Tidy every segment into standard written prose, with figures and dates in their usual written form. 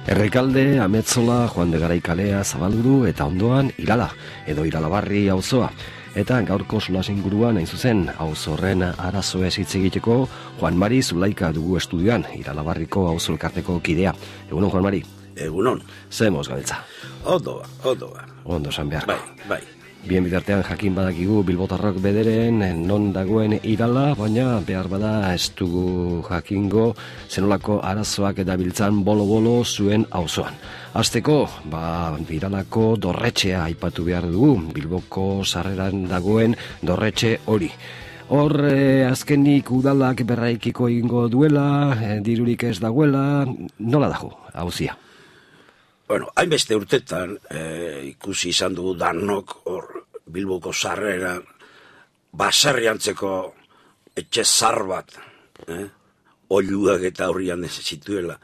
Errekalde, Ametzola, Juan de Garai kalea zabaldu du eta ondoan Irala, edo Iralabarri auzoa. Eta gaurko solas inguruan hain zuzen, auzo horren arazoez hitz egiteko Juan Mari Zulaika dugu estudioan, Iralabarriko auzo elkarteko kidea. Egunon, Juan Mari? Egunon. Zemoz gabiltza? Ondo. Ondo esan beharko. Bai. Bien bitartean jakin badakigu bilbotarrok bederen non dagoen Irala, baina behar bada ez dugu jakingo zenolako arazoak eta biltzan bolo-bolo zuen auzoan. Hasteko, Iralako dorretxea aipatu behar dugu, Bilboko sarreran dagoen dorretxe hori. Hor, azkenik udalak berraikiko egingo duela, dirurik ez dagoela, nola dago, auzia? Bueno, hainbeste urtetan ikusi izan dugu danok hor Bilboko sarrera baserriantzeko etxe zar bat, oiluak eta horrian zituela.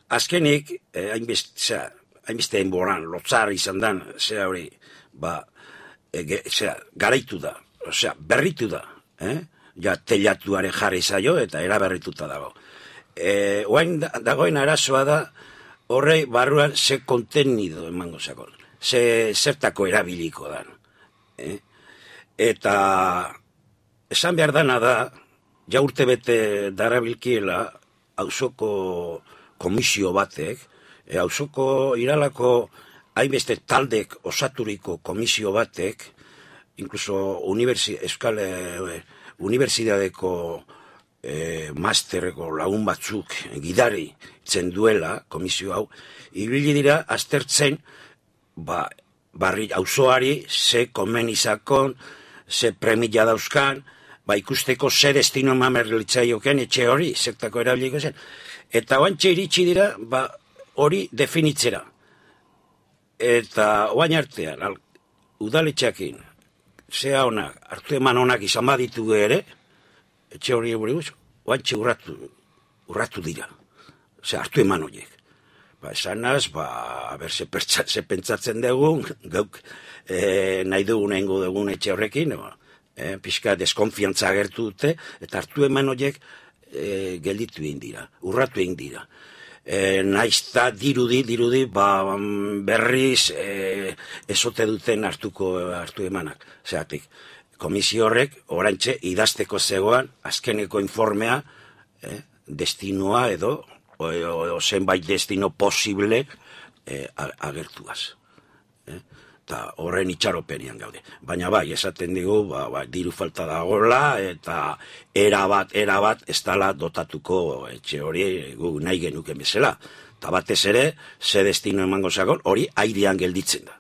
Azkenik, hainbeste enboran, lotzar izan dan, garaitu da, berritu da, ja telatuare jarri zaio eta eraberrituta dago. Oain dagoen arazoa da, horrei barruan ze kontenido emango zakon, zertako erabiliko dan. Eta esan behar dana da, ja urte bete darabilkiela auzoko komisio batek, auzoko Iralako hainbeste taldek osaturiko komisio batek, inkluso Euskal Unibertsitateko masterreko lagun batzuk gidari zen duela komisio hau, ibili dira aztertzen auzoari ze konbenizakon, ze premia dauzkan, ikusteko ze destino mamerlitzaioken etxe hori, zektako erabiliko zen. Eta oantxe iritsi dira, hori definitzera. Eta oain artean, udaletxeakin, zea honak, hartu eman honak izan baditu ere, etxe hori buruz, oantxe urratu dira. Hartu eman horiek. Esanaz, ze pentsatzen dugun, gauk nahi dugun egingo dugun etxe horrekin, pixka deskonfiantza agertu dute, eta hartu eman horiek gelditu egin dira, urratu egin dira. Naizta dirudi, berriz ezote duten hartu emanak. Zeratik, komisio horrek, orantxe, idazteko zegoan, azkeneko informea, destinoa edo, zenbait destino posible agertuaz. Eta horren itxaroperian gaude. Baina esaten digu, diru falta dagoela, eta erabat ez dala dotatuko etxe hori gu nahi genuken bezala. Eta batez ere, ze destino emango zakon, hori airean gelditzen da.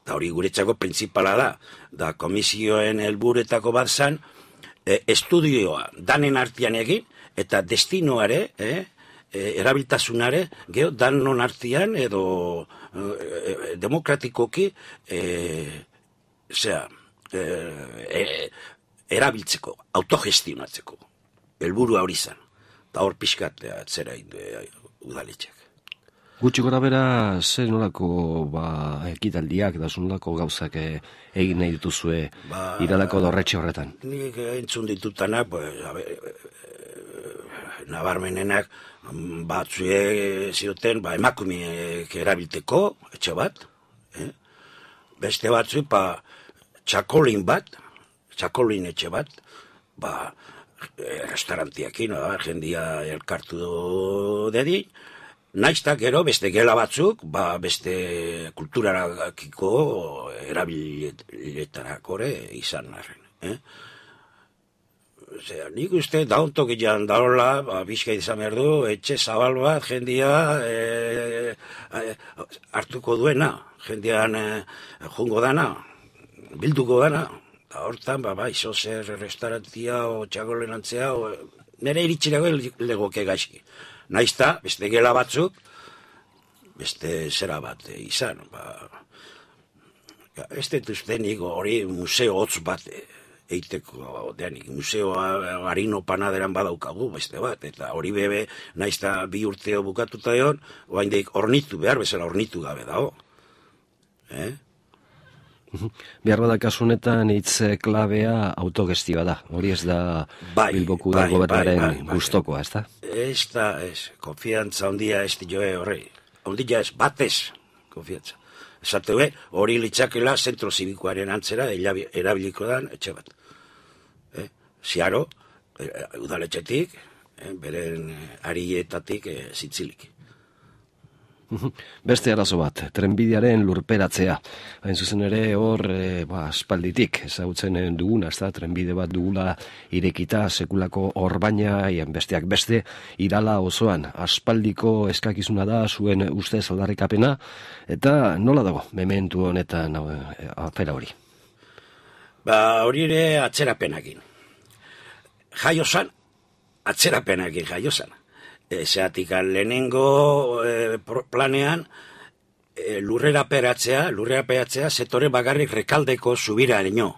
Eta hori guretzako printzipala da komisioen helburuetako bat zan, estudioa danen artean egin, eta destinoare, erabiltasunare, geho, danon artean edo demokratikoki erabiltzeko, autogestionatzeko, helburua hori zan. Eta hor pixkat atzera udaletxeak. Gutxi gora bera, zer nolako ekitaldiak, da nolako gauzak egin nahi dituzue Iralako dorretxe horretan? Nik entzun ditutanak, nabarmenenak batzue zioten, emakumeek erabilteko, etxe bat, beste batzu, txakolin etxe bat, restaurantiakin, jendia elkartu dedi, naiztak gero, beste gela batzuk, beste kulturarakiko erabiletarako izan arren. Nik uste dauntokian daola, bizkai izan behar du, etxe zabal bat, jendia hartuko duena, jendian jungo dana, bilduko dana, eta hortan, izo zer restaurantia o txakolen antzea, nire iritsirako legoke gaizki. Naizta, beste gela batzuk, beste zera bat izan. Ez detuzte nik hori museo hotz bat eiteko, museoa harino panaderan badaukagu, beste bat, eta hori bebe, naizta 2 urteo bukatuta egon, oaindeik ornitu behar, bezala ornitu gabe dago. Behar bada kasunetan hitz klabea autogestioa da, hori ez da Bilboku da gobernaren gustokoa, ez da? Ez da, konfiantza handia ez joe horrei. ondila ez, batez, konfiantza. Esate hori litzakela zentro zibikoaren antzera erabiliko dan etxe bat. Ziaro, udaletxetik, beren arietatik zintzilik. Beste arazo bat, trenbidearen lurperatzea. Hain zuzen ere hor, aspalditik ezagutzen duguna, ez da, trenbide bat dugula irekita sekulako orbaina, besteak beste, Irala osoan. Aspaldiko eskakizuna da zuen ustez aldarrikapena, eta nola dago, mementu honetan afera hori? Hori ere atzerapenakin. Jaiozan, atzerapenakin jaiozan. Zeatik lehenengo planean lurrera peratzea setore bagarrik Rekaldeko zubiraino.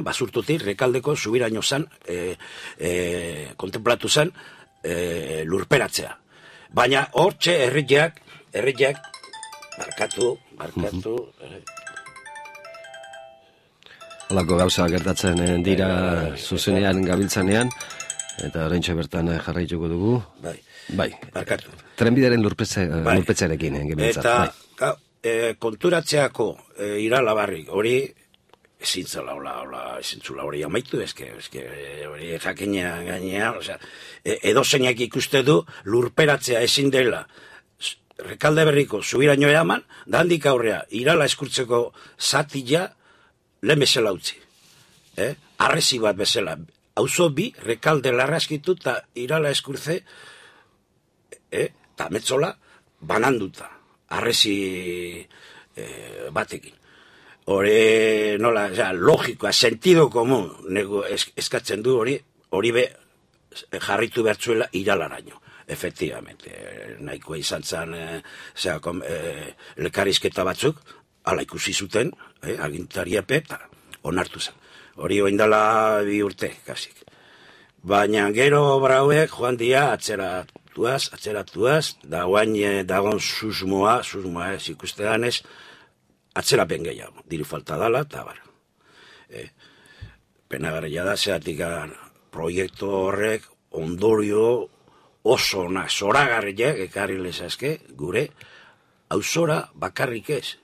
Basurtutik Rekaldeko zubiraino zan, kontemplatu zen lurperatzea. Baina hortxe herriak, barkatu. Holako gauza gertatzen dira zuzenean gabiltzanean, eta oraintxe bertan jarraituko dugu. Bai. Barkatu. Trenbidearen lurpetzearekin gebiltzat. Eta konturatzeako Irala barrik, hori ezintzula hori amaitu, hori jakina gainea, edo zeinak ikuste du lurperatzea ezin dela Rekalde berriko zubiraino eaman, da handik aurrea Irala eskurtzeko zatila lehen bezala utzi. Arrezi bat bezala. Auzo bi, Rekalde larraskitu eta Irala eskurtze eta metzola bananduta. Arrezi batekin. Hore, nola, logikoa, sentido komun eskatzen du hori be jarritu bertzuela Iralaraino. Efectivamente, nahikoa izan zen elkarrizketa batzuk, ala ikusi zuten, agintariepe, eta onartu zen. Hori oindala 2 urte, kasik. Baina gero brauek joan dia atzeratuaz, da guain dagon susmoa ez ikuste danez, atzerapen gehiago, diru falta dala, eta bar. Penagarria da, zeatik proiektu horrek ondorio oso zoragarriak ekarri lezazke, gure, auzora bakarrik ez.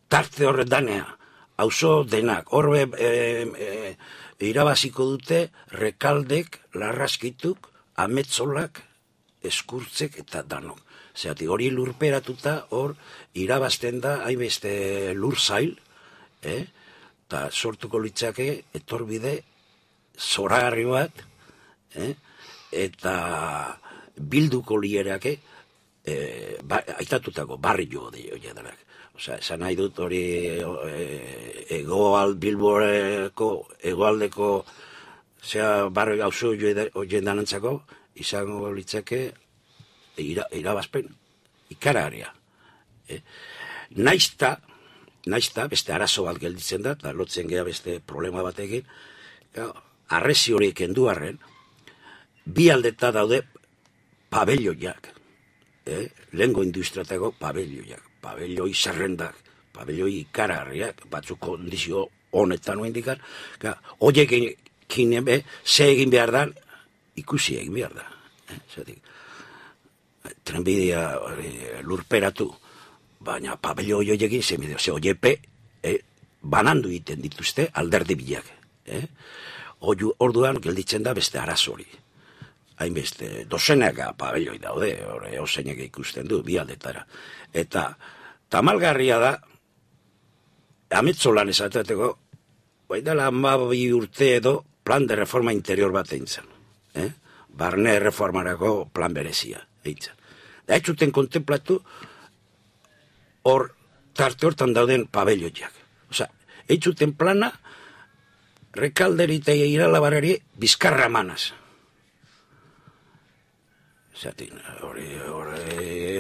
Tarte horret danea, auzo denak, horbe irabaziko dute Rekaldek, larraskituk, ametzolak, eskurtzek eta danok. Zerati, hori lurperatuta, hor irabazten da, hainbeste lur zail, eta sortuko litzake etorbide zoragarri bat, eta bilduko lierake aitatutako barri jo denak. Osea, esan nahi dut hori Bilboreko egoaldeko barri gauzu joen danantzako izango litzake irabazpen ikaragarria. Naizta, beste arazo bat gelditzen da, eta lotzen gea beste problema batekin, arrezi horiek enduarren, bi aldeta daude pabelloiak, lehengo industriatako pabelloiak, pabelloi zerrendak, pabelloi ikaragarriak, batzuk kondizio honetan noen dikar, horiekin ze egin behar da, ikusi egin behar da. Trenbidea lurperatu, baina pabelloi horiekin zemideo, ze horiepe banandu egiten dituzte alderdi bilak. Orduan gelditzen da beste arazori. Hainbeste, dozenaka pabelloi daude, oseinak ikusten du, bi aldetara. Eta tamalgarria da, ametzolan esateteko, baidala 12 urte edo plan de reforma interior bat eintzen. Barne reformarako plan berezia eintzen. Da etxuten kontemplatu, hor tarte hortan dauden pabelloiak. Osa, etxuten plana, Rekalderi eta Irala barari bizkarra manaz. Zatin, hori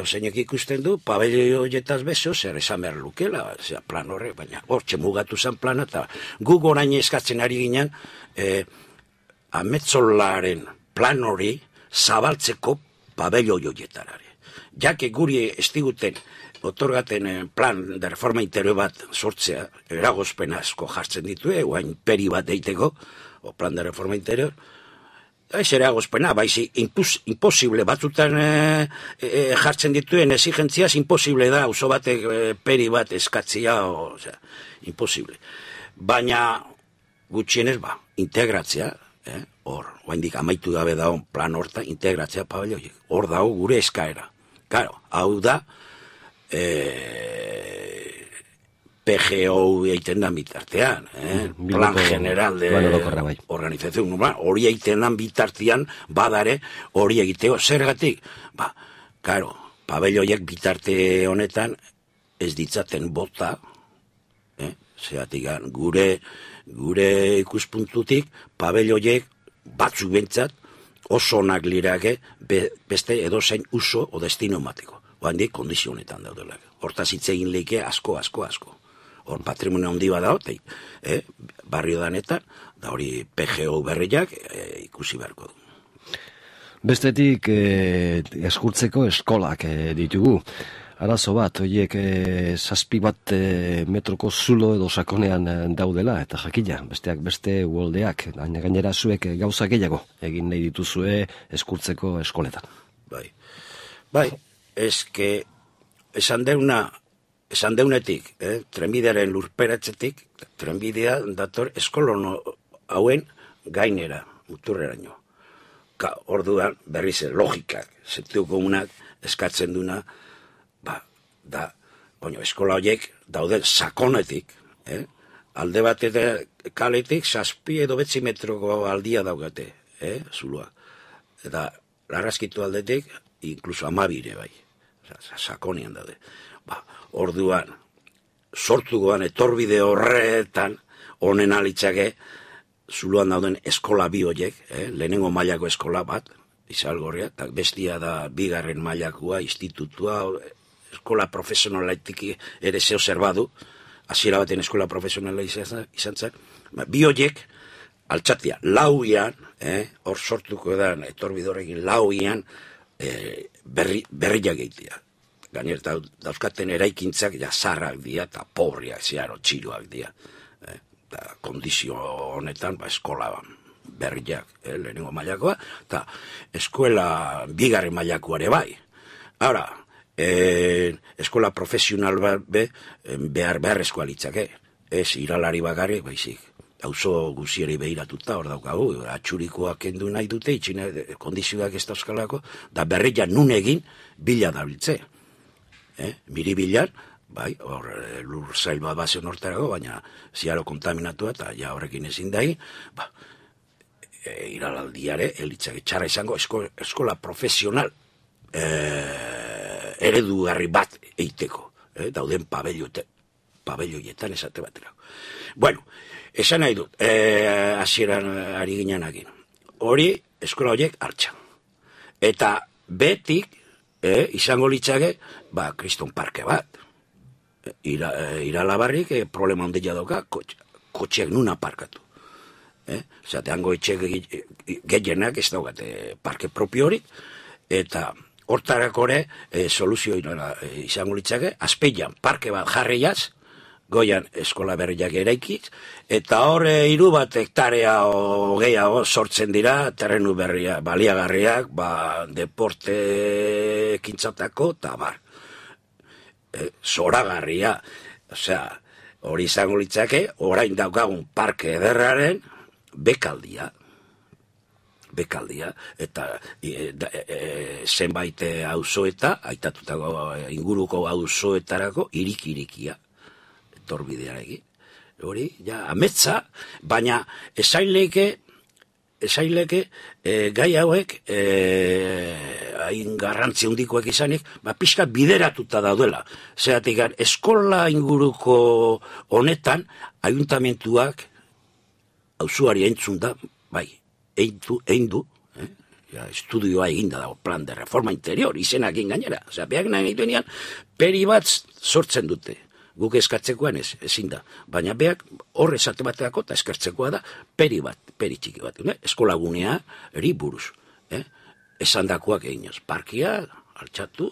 oseinek ikusten du, pabelloi horietaz bezo, zer esan behar lukela, plan horrek, baina hortxe mugatu zen plana, eta guk orain eskatzen ari ginen, ametzolaren plan hori zabaltzeko pabelloi horietarare. Jake guri estiguten, otorgaten plan de reforma interior bat sortzea, eragozpen asko jartzen ditu, oain peri bat deiteko, o plan de reforma interior, ez ere agozpena, baizi, imposible, batzutan jartzen dituen exigentziaz, imposible da, oso batek peri bat eskatzia, osea, imposible. Baina, gutxienez, integratzea, hor, oaindik amaitu gabe dago plan horta, integratzea pabelloiek, hor dago gure eskaera. Claro, hau da, PGO egiten da bitartean, plan general de organización, hori egiten da bitartean, badare hori egiteo, zergatik? Claro, pabelloiek bitarte honetan ez ditzaten bota, zeratik, gure ikuspuntutik, pabelloiek batzuk bentsat, oso onak lirake beste edozein uso o destino emateko. Oandik kondizio honetan daudela. Hortaz hitz egin leike asko. Hor patrimonio handi bada hotei, barrio danetan, da hori PGO berriak ikusi beharko du. Bestetik eskurtzeko eskolak ditugu. Arazo bat, horiek 7 bat metroko zulo edo sakonean daudela, eta jakina, besteak beste uholdeak, gainera zuek gauza gehiago egin nahi dituzue eskurtzeko eskoletan. Bai, eske esan deunetik, trenbidearen lurperatzetik, trenbidea dator eskolon hauen gainera, muturreraino. Orduan, berriz logikak, sentitu komunak eskatzen duna, da, eskola horiek dauden sakonetik, alde bat eta kaletik 7 edo 8 metroko aldia daugate, zuloak. Eta larraskitu aldetik, inkluso 12 bai, sakonian daude. Orduan, sortu goan etorbide horretan, honen alitzake, zuloan dauden eskola bi horiek, lehenengo mailako eskola bat, Izalgorria, eta bestia da 2. mailakoa, institutua, eskola profesionalaitik ere zeo zerbadu, hasiera baten eskola profesionala izan zen, bi horiek, altxatia, lauian, hor sortuko da, etorbide horrekin lauian, berriak egitea. Gainer, dauzkaten eraikintzak jazarrak dira, eta pobriak, zeharo, txiroak dira. Eta kondizio honetan, eskola berriak, lehenengo mailakoa, eta eskola 2. mailakoare bai. Ara, eskola profesional beharrezkoa litzake, ez iralari bakarrik, baizik. Auzo guzieri behiratuta hor daukagu, atxurikoak kendu nahi dute, itxine kondizioak ez dauzkalako, da berria nun egin bila dabiltze. Miri bilan, bai, hor lur zail bat bazen hortarago, baina ziaro kontaminatua eta ja horrekin ezin dahi, iralaldiare, elitzak txarra izango, eskola profesional eredugarri bat eiteko, dauden pabelloietan esate baterako. Bueno, esan nahi dut, hasieran ari gineanakin. Hori, eskola horiek hartxan. Eta betik, izango litzake, kriston parke bat. Iralabarrik, problema ondila doka, kotxeak nun aparkatu. Zate, hango etxe gehienak ez daugate parke propio horik, eta hortarakore soluzio izango litzake, azpeian parke bat jarriaz, goian eskola berriak eraikitz, eta hor 3 bat hektarea o gehiago sortzen dira, terrenu berria, baliagarriak, deporte kintzatako, eta zoragarria, osea, hori izango litzake, orain daukagun parke ederraren bekaldia, eta zenbait auzoeta, aitatutako inguruko auzoetarako irik-irikia, torbidearekin. Hori, ametsa, baina esaileke gai hauek hain garrantzi handikoak izanik, pixka bideratuta daudela. Zeratik, eskola inguruko honetan, ayuntamentuak auzuari entzun da, bai, egin du, estudioa eginda dago, plan de reforma interior, izenak gainera. Osea, behak nahi egiten peri bat sortzen dute. Guk eskatzekoan ezin da. Baina behak horre esate bateako eta eskertzekoa da peri txiki bat. Eskola gunea eri buruz. Esandakoak eginez. Parkia, altxatu,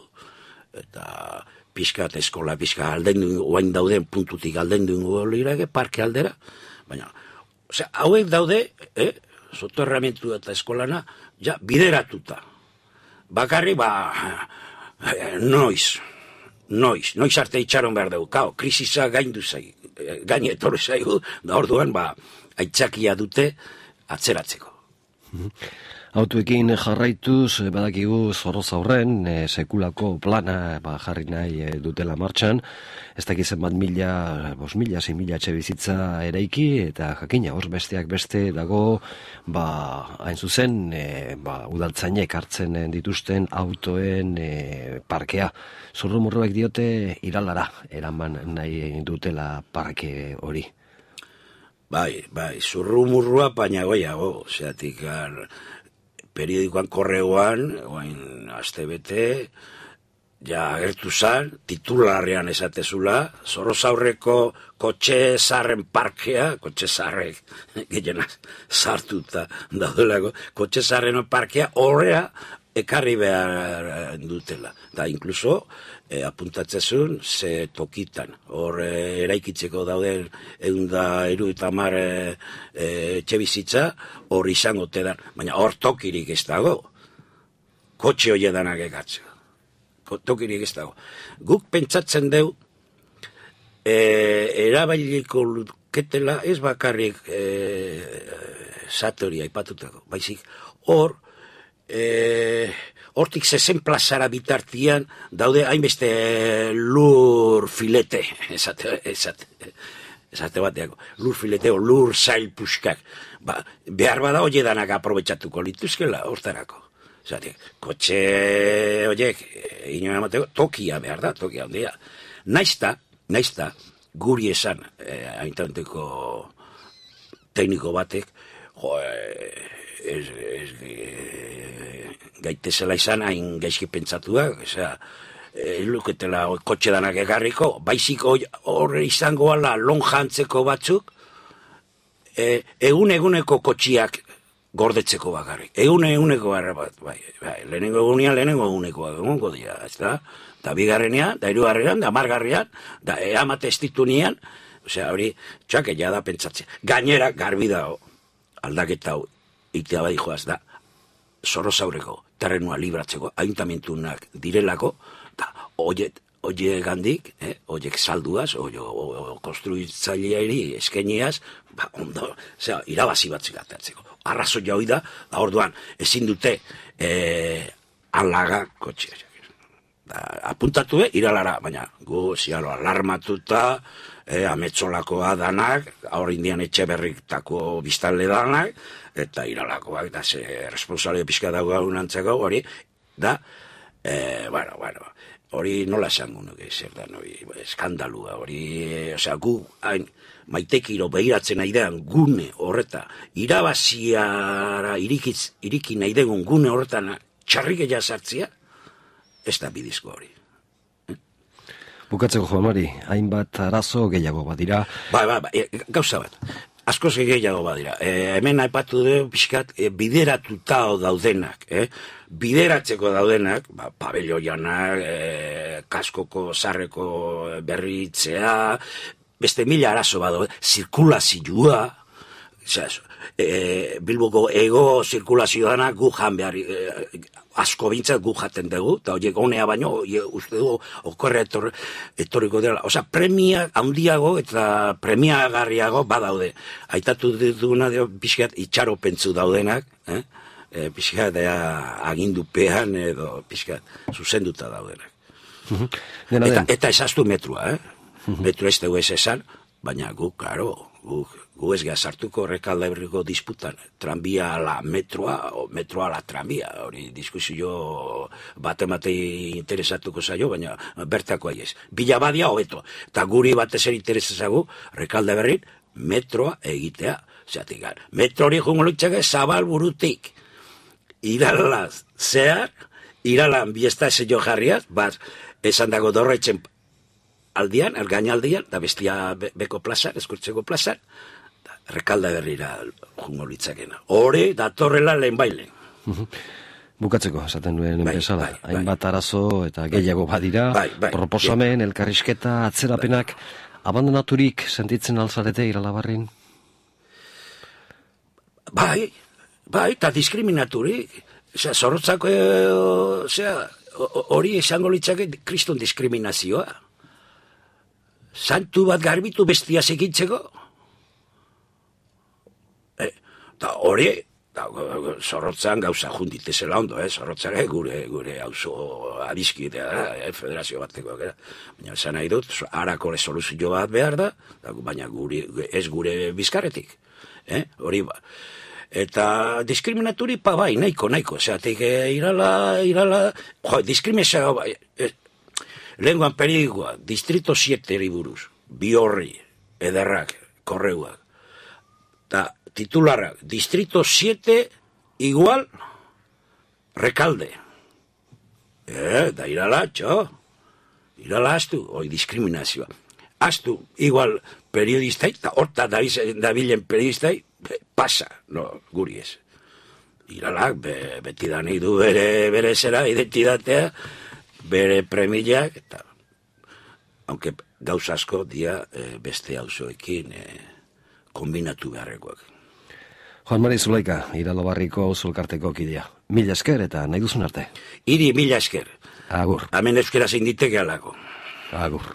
eta pixkat eskola, pixka aldendu, oain dauden puntutik aldendu ingo lirake, parke aldera. Baina, hauek daude, soterramentu eta eskolana, ja, bideratuta. Bakarri, noiz arte itxaron behar dugu. Krisisa gain etorri zaigu, da orduan, aitzakia dute atzeratzeko. Autuekin jarraituz, badakigu Zorroz aurren, sekulako plana jarri nahi dutela martxan, ez dakiz zenbat 1.000, 5.000, 6.000 etxe bizitza eraiki, eta jakina, hor besteak beste dago, hain zuzen, udaltzainek hartzen dituzten autoen parkea. Zurrumurruek diote Iralara, eraman nahi dutela parke hori. Bai, zurrumurrua baina goiago, zeatik, periodikoan korreoan, oain aste bete, ja agertu zan, titularrean esatezula, Zorroz aurreko kotxe zarren parkea, kotxe zarrek, gehienaz, sartuta daudelako, kotxe zarren parkea horrea ekarri behar dutela. Da, inkluso, apuntatzezun, ze tokitan, hor eraikitzeko dauden 170 etxe bizitza, hor izango tedan, baina hor tokirik ez dago, kotxe hoiedanak ekatzeko. Tokirik ez dago. Guk pentsatzen deu, erabailiko luketela ez bakarrik Satori aipatutako, baizik, hortik 60 plazara bitartian daude hainbeste lur filete, esate bateako, lur filete o lur zail puskak. Behar bada hoiedanak aprobetxatuko lituzkela hortarako. Kotxe horiek, inoen amateko, tokia behar da, tokia handia. Naizta, guri esan, aintanteko tekniko batek, gaitezela izan, hain gaizki pentsatuak, luketela kotxe danak egarriko, baizik horre izango ala lonjantzeko batzuk, eguneko kotxiak gordetzeko bakarrik. Eguneko barra bat, lehenengo eguneko egungo dira, ez da? Da bigarrenean, da hirugarrenean, da hamargarrean, da amate estitunean, hori, txake jada pentsatzea. Gainera, garbi dago, aldaketa hau, itea bai joaz da, Zorroz aurreko terrenua libratzeko ayuntamentunak direlako, da, oiek gandik, oiek salduaz, konstruitzaileari eskeniaz, ondo, irabazi batzuk atatzeko. Arrazoi hori da, orduan, ezin dute alaga kotxea. Apuntatu Iralara, baina gu zialo alarmatuta, ametxolakoa danak, hor indian etxe berriktako biztanle danak, eta Iralakoak, eta responsable pixka dago gaunantzako, hori, da, hori nola esango nuke, zer da, eskandalua, hori, gu, hain, maitekiro behiratzen nahi dean gune horreta, irabaziara iriki nahi degun gune horretan txarrikeia sartzia, ez da bidizko hori. Bukatzeko, Juan Mari, hainbat arazo gehiago badira. Gauza bat, askoz gehiago badira. Hemen aipatu dugu pixkat bideratuta daudenak. Bideratzeko daudenak, pabelloianak, kaskoko zarreko berritzea, beste 1000 arazo bado, zirkulazioa, Bilboko ego zirkulazioa gu jan behar, asko bintzat gu jaten dugu, eta horiek honea baino, uste dugu, okorre etorriko dela. Premia handiago eta premiagarriago badaude. Aitatu duguna pixkat itxaro pentsu daudenak, pixkat agindupean edo pixkat zuzenduta daudenak. Eta esaztu metrua, metro ez dugu ez esan, baina gu, karo, gu ez gazartuko Rekalde Berriko disputan, tranbia ala metroa, o metroa ala tranbia, hori diskusio bate-matei interesatuko zaio, baina bertako aiez. Bilabadia hobeto, eta guri batez ere interesazagu Rekalde Berrin metroa egitea. Zatik, metro hori jungo lutzake Zabal burutik, Irala zehar, Iralan biesta ezello jarriaz, bat esan dago dorretzen aldian, gainaldian, da bestia beko plazan, eskurtzeko plazan, Rekalde Berrira jungo litzakena. Hore, datorrela lehen bailen. Bukatzeko, esaten duen bezala, hainbat arazo eta gehiago badira, proposamen, elkarrizketa, atzerapenak, abandonaturik sentitzen alzarete Iralabarrin? Bai, eta diskriminaturik. Osea, Zorrotzako, hori esango litzake kriston diskriminazioa. Santu bat garbitu bestia segitzeko. Eta hori, Zorrotzan gauza junditezela ondo, Zorrotzare gure auzo adiskidea, federazio bateko. Baina esan nahi dut, harako soluzio bat behar da, baina ez gure bizkarretik. Hori ba. Eta diskriminaturi bai, nahiko, zeatik irala, diskriminazioa bai, lehenguan periodikoa, Distrito 7 buruz, Biorri, Ederrak, Korreuak, eta titularrak, Distrito 7 igual Rekalde. Da irala, irala astu, hoi diskriminazioa. Astu, igual periodistai, eta horta dabilen periodistai, pasa, guri ez. Iralak, beti da nahi du bere zera, identitatea, bere premiak, eta, aunque gauza asko dia beste auzoekin kombinatu beharrekoak. Juan Mari Zulaika, Iralobarriko Zulkarteko kidea. Mila esker eta nahi duzun arte. Iri, mila esker. Agur. Hemen euskera zein diteke alako. Agur.